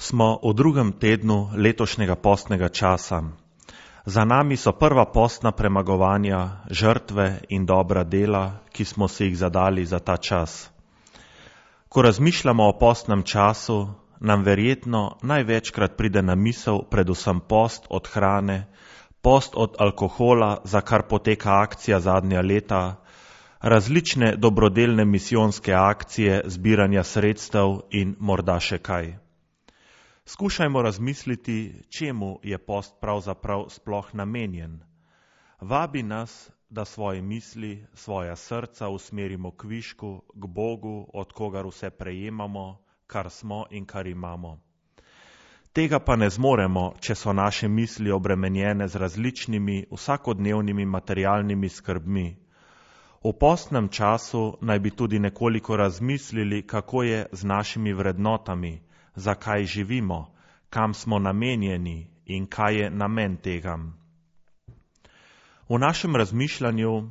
Smo v drugem tednu letošnjega postnega časa. Za nami so prva postna premagovanja, žrtve in dobra dela, ki smo si jih zadali za ta čas. Ko razmišljamo o postnem času, nam verjetno največkrat pride na misel predvsem post od hrane, post od alkohola, za kar poteka akcija zadnja leta, različne dobrodelne misijonske akcije, zbiranja sredstev in morda še kaj. Skušajmo razmisliti, čemu je post pravzaprav sploh namenjen. Vabi nas, da svoje misli, svoja srca usmerimo k višku, k Bogu, od kogar vse prejemamo, kar smo in kar imamo. Tega pa ne zmoremo, če so naše misli obremenjene z različnimi vsakodnevnimi materialnimi skrbmi. V postnem času naj bi tudi nekoliko razmislili, kako je z našimi vrednotami, zakaj živimo, kam smo namenjeni in kaj je namen tega. V našem razmišljanju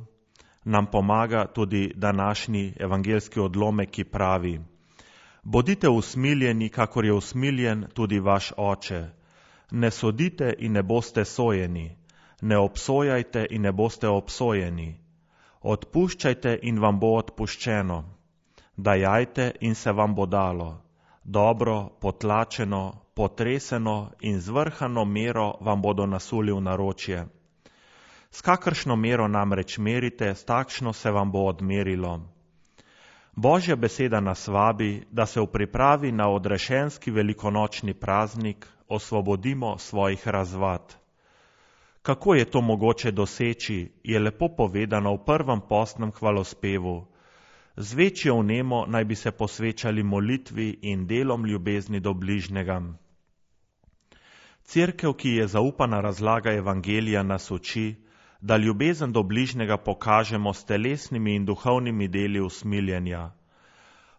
nam pomaga tudi današnji evangeljski odlomek, ki pravi: Bodite usmiljeni, kakor je usmiljen tudi vaš oče. Ne sodite in ne boste sojeni, ne obsojajte in ne boste obsojeni. Odpuščajte in vam bo odpuščeno. Dajajte in se vam bo dalo. Dobro, potlačeno, potreseno in zvrhano mero vam bodo nasuli v naročje. S kakršno mero namreč merite, s takšno se vam bo odmerilo. Božja beseda nas vabi, da se v pripravi na odrešenski velikonočni praznik osvobodimo svojih razvad. Kako je to mogoče doseči, je lepo povedano v prvem postnem hvalospevu. Z večjo vnemo naj bi se posvečali molitvi in delom ljubezni do bližnjega. Cerkev, ki je zaupana razlaga evangelija, nas uči, da ljubezen do bližnjega pokažemo s telesnimi in duhovnimi deli usmiljenja.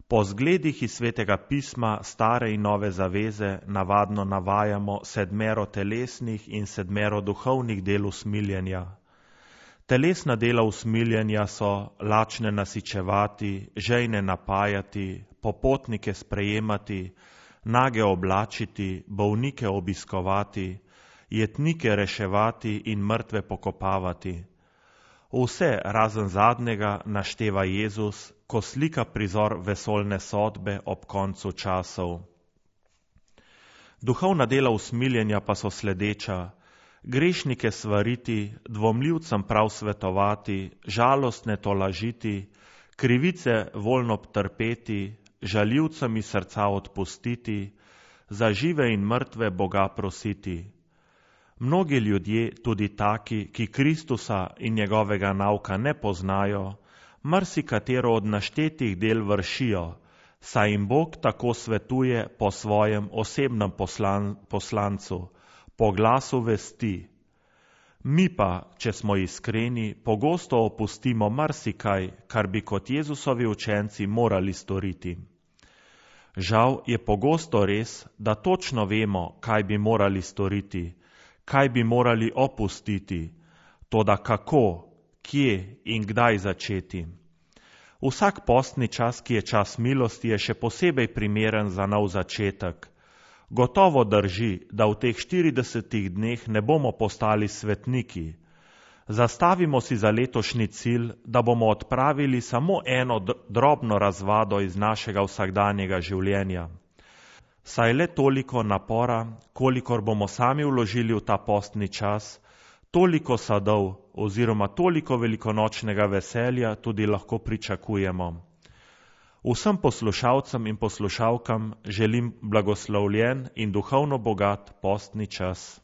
Po zgledih iz Svetega pisma, stare in nove zaveze, navadno navajamo 7 telesnih in 7 duhovnih del usmiljenja. Telesna dela usmiljenja so lačne nasičevati, žejne napajati, popotnike sprejemati, nage oblačiti, bolnike obiskovati, jetnike reševati in mrtve pokopavati. Vse razen zadnjega našteva Jezus, ko slika prizor vesoljne sodbe ob koncu časov. Duhovna dela usmiljenja pa so sledeča: grešnike svariti, dvomljivcem prav svetovati, žalostne tolažiti, krivice voljno trpeti, žaljivcem iz srca odpustiti, za žive in mrtve Boga prositi. Mnogi ljudje, tudi taki, ki Kristusa in njegovega nauka ne poznajo, marsikatero od naštetih del vršijo, saj jim Bog tako svetuje po svojem osebnem poslancu, po glasu vesti. Mi pa, če smo iskreni, pogosto opustimo marsikaj, kar bi kot Jezusovi učenci morali storiti. Žal je pogosto res, da točno vemo, kaj bi morali storiti, kaj bi morali opustiti, toda kako, kje in kdaj začeti. Vsak postni čas, ki je čas milosti, je še posebej primeren za nov začetek. Gotovo drži, da v teh 40 dneh ne bomo postali svetniki. Zastavimo si za letošnji cilj, da bomo odpravili samo eno drobno razvado iz našega vsakdanjega življenja. Saj le toliko napora, kolikor bomo sami vložili v ta postni čas, toliko sadov oziroma toliko velikonočnega veselja tudi lahko pričakujemo. Vsem poslušalcem in poslušalkam želim blagoslovljen in duhovno bogat postni čas.